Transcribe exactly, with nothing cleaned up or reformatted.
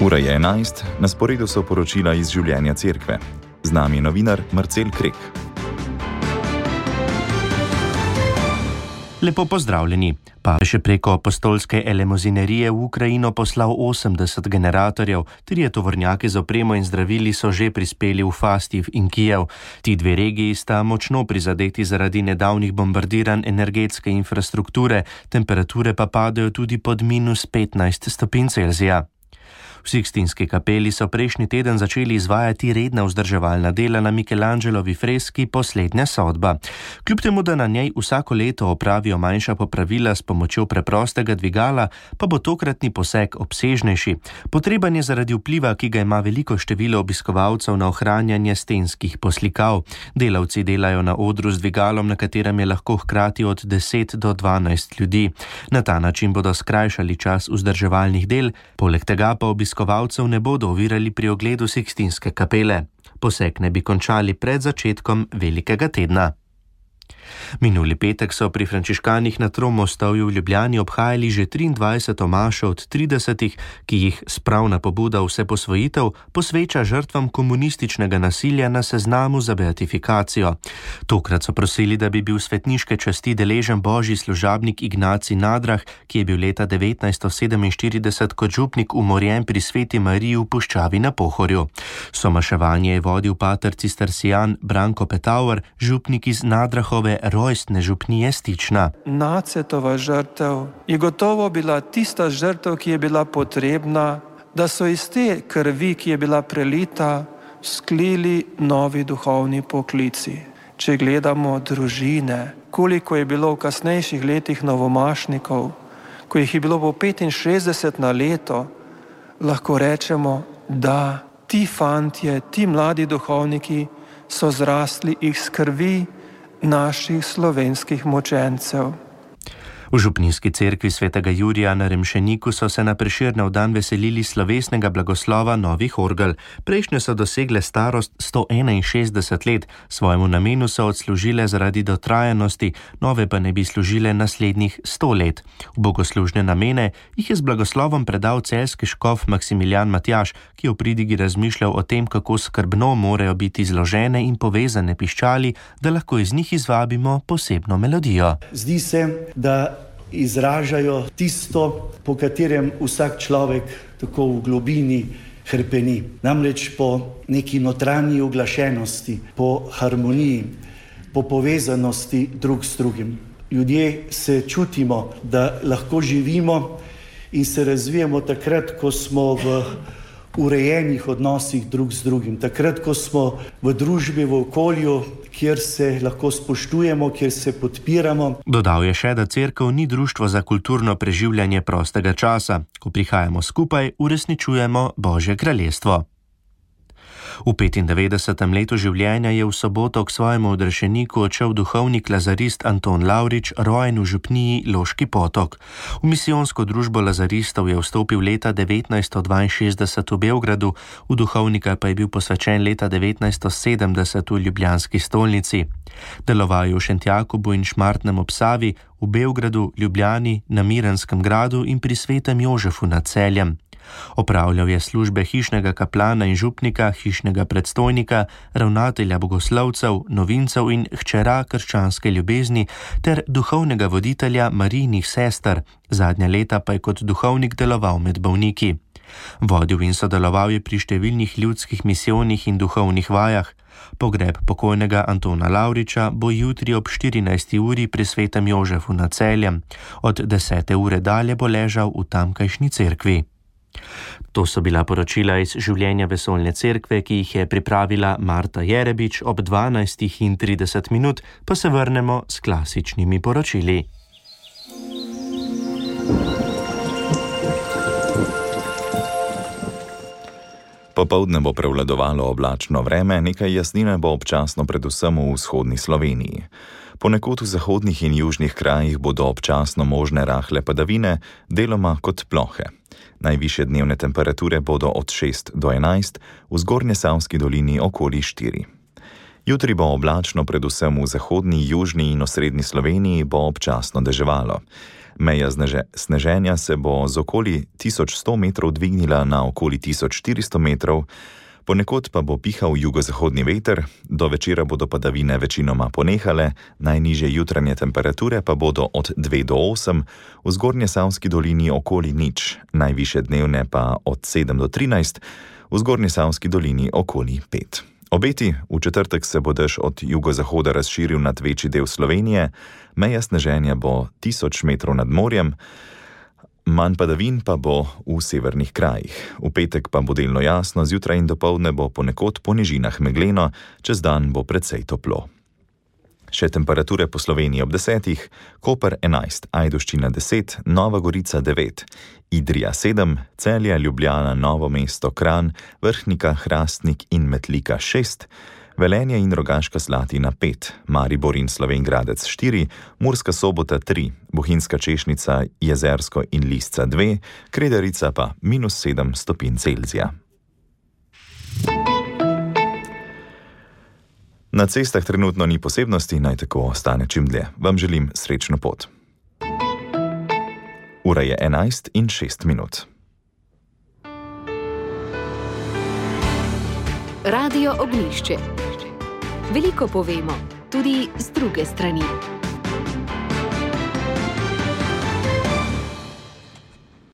Ura je enajst, na sporedu so poročila iz življenja cerkve. Z nami je novinar Marcel Krek. Lepo pozdravljeni. Papež je preko apostolske elemozinerije v Ukrajino poslal osemdeset generatorjev, trije tovornjaki z opremo in zdravili so že prispeli v Fastiv in Kijev. Ti dve regiji sta močno prizadeti zaradi nedavnih bombardiranj energetske infrastrukture, temperature pa padajo tudi pod minus petnajst stopinj Celzija. V Sikstinski kapeli so prejšnji teden začeli izvajati redna vzdrževalna dela na Michelangelovi freski Poslednja sodba. Kljub temu, da na njej vsako leto opravijo manjša popravila s pomočjo preprostega dvigala, pa bo tokratni poseg obsežnejši. Potreben je zaradi vpliva, ki ga ima veliko število obiskovalcev na ohranjanje stenskih poslikav. Delavci delajo na odru z dvigalom, na katerem je lahko hkrati od deset do dvanajst ljudi. Na ta način bodo skrajšali čas vzdrževalnih del, poleg tega pa obiskovalcev Obiskovalcev ne bodo ovirali pri ogledu Sikstinske kapele. Poseg ne bi končali pred začetkom velikega tedna. Minuli petek so pri frančiškanih na Tromostovju v Ljubljani obhajali že triindvajseto mašo od tridesetih, ki jih spravna pobuda Vseposvojitev posveča žrtvam komunističnega nasilja na seznamu za beatifikacijo. Tokrat so prosili, da bi bil svetniške časti deležen božji služabnik Ignacij Nadrah, ki je bil leta devetnajststo sedeminštirideset kot župnik umorjen pri Sveti Mariji v puščavi na Pohorju. Somaševanje je vodil pater cistercijan Branko Petauer, župnik iz Nadrahove rojstne župnije Stična. Nacetova žrtev je gotovo bila tista žrtev, ki je bila potrebna, da so iz te krvi, ki je bila prelita, sklili novi duhovni poklici. Če gledamo družine, koliko je bilo v kasnejših letih novomašnikov, ko jih je bilo po petinšestdeset na leto, lahko rečemo, da ti fantje, ti mladi duhovniki so zrastli iz krvi naših slovenskih mučencev. V župnijski cerkvi svetega Jurija na Remšeniku so se na Prešernov dan veselili slovesnega blagoslova novih orgel. Prejšnje so dosegle starost sto enainšestdeset let, svojemu namenu so odslužile zaradi dotrajanosti, nove pa ne bi služile naslednjih sto let. V bogoslužne namene jih je z blagoslovom predal celjski škof Maksimilijan Matjaž, ki je v pridigi razmišljal o tem, kako skrbno morajo biti zložene in povezane piščali, da lahko iz njih izvabimo posebno melodijo. Zdi se, da izražajo tisto, po katerem vsak človek tako v globini hrpeni. Namreč po neki notranji uglašenosti, po harmoniji, po povezanosti drug s drugim. Ljudje se čutimo, da lahko živimo in se razvijamo takrat, ko smo v urejenih odnosih drug z drugim. Takrat, ko smo v družbi, v okolju, kjer se lahko spoštujemo, kjer se podpiramo. Dodal je še, da cerkev ni društvo za kulturno preživljanje prostega časa. Ko prihajamo skupaj, uresničujemo Božje kraljestvo. V petindevetdesetem letu življenja je v soboto k svojemu odrešeniku odšel duhovnik lazarist Anton Lavrič, rojen v župniji Loški Potok. V misijonsko družbo lazaristov je vstopil leta devetnajststo dvainšestdeset v Beogradu, v duhovnika pa je bil posvečen leta devetnajststo sedemdeset v ljubljanski stolnici. Deloval je v Šentjakobu in Šmartnem ob Savi, v Beogradu, Ljubljani, na Miranskem gradu in pri Svetem Jožefu nad Celjem. Opravljal je službe hišnega kaplana in župnika, hišnega predstojnika, ravnatelja bogoslovcev, novincev in hčera krščanske ljubezni ter duhovnega voditelja Marijinih sester. Zadnja leta pa je kot duhovnik deloval med bolniki. Vodil in sodeloval je pri številnih ljudskih misijonih in duhovnih vajah. Pogreb pokojnega Antona Lavriča bo jutri ob štirinajsti uri pri Svetem Jožefu nad Celjem. Od desete ure dalje bo ležal v tamkajšnji cerkvi. To so bila poročila iz življenja vesoljne cerkve, ki jih je pripravila Marta Jerebič. Ob dvanajstih in trideset minut pa se vrnemo s klasičnimi poročili. Popoldne bo prevladovalo oblačno vreme, nekaj jasnine bo občasno predvsem v vzhodni Sloveniji. Ponekod v zahodnih in južnih krajih bodo občasno možne rahle padavine, deloma kot plohe. Najvišje dnevne temperature bodo od šest do enajst, v Zgornjesavski dolini okoli štiri. Jutri bo oblačno, predvsem v zahodni, južni in osrednji Sloveniji bo občasno deževalo. Meja sneženja se bo z okoli tisoč sto metrov dvignila na okoli tisoč štiristo metrov, ponekod pa bo pihal jugozahodni veter, do večera bodo padavine večinoma ponehale, najnižje jutranje temperature pa bodo od dve do osem, v Zgornjesavski dolini okoli nič, najvišje dnevne pa od sedem do trinajst, v Zgornjesavski dolini okoli pet. Obeti, v četrtek se bo dež od jugozahoda razširil nad večji del Slovenije, meja sneženja bo tisoč metrov nad morjem, manj padavin pa bo v severnih krajih. V petek pa bo delno jasno, zjutraj in dopoldne bo ponekod po nižinah megleno, čez dan bo precej toplo. Še temperature po Sloveniji ob desetih, Koper enajst, Ajdovščina deset, Nova Gorica devet, Idrija sedem, Celje, Ljubljana, Novo mesto, Kranj, Vrhnika, Hrastnik in Metlika šest, Velenje in Rogaška Slatina pet, Maribor in Slovenj Gradec štiri, Murska Sobota tri, Bohinjska Češnica, Jezersko in Lisca dve, Kredarica pa minus sedem stopinj Celzija. Na cestah trenutno ni posebnosti, naj tako ostane čim dlje. Vam želim srečno pot. Ura je enajst in šest minut. Radio Ognjišče. Veliko povemo, tudi z druge strani.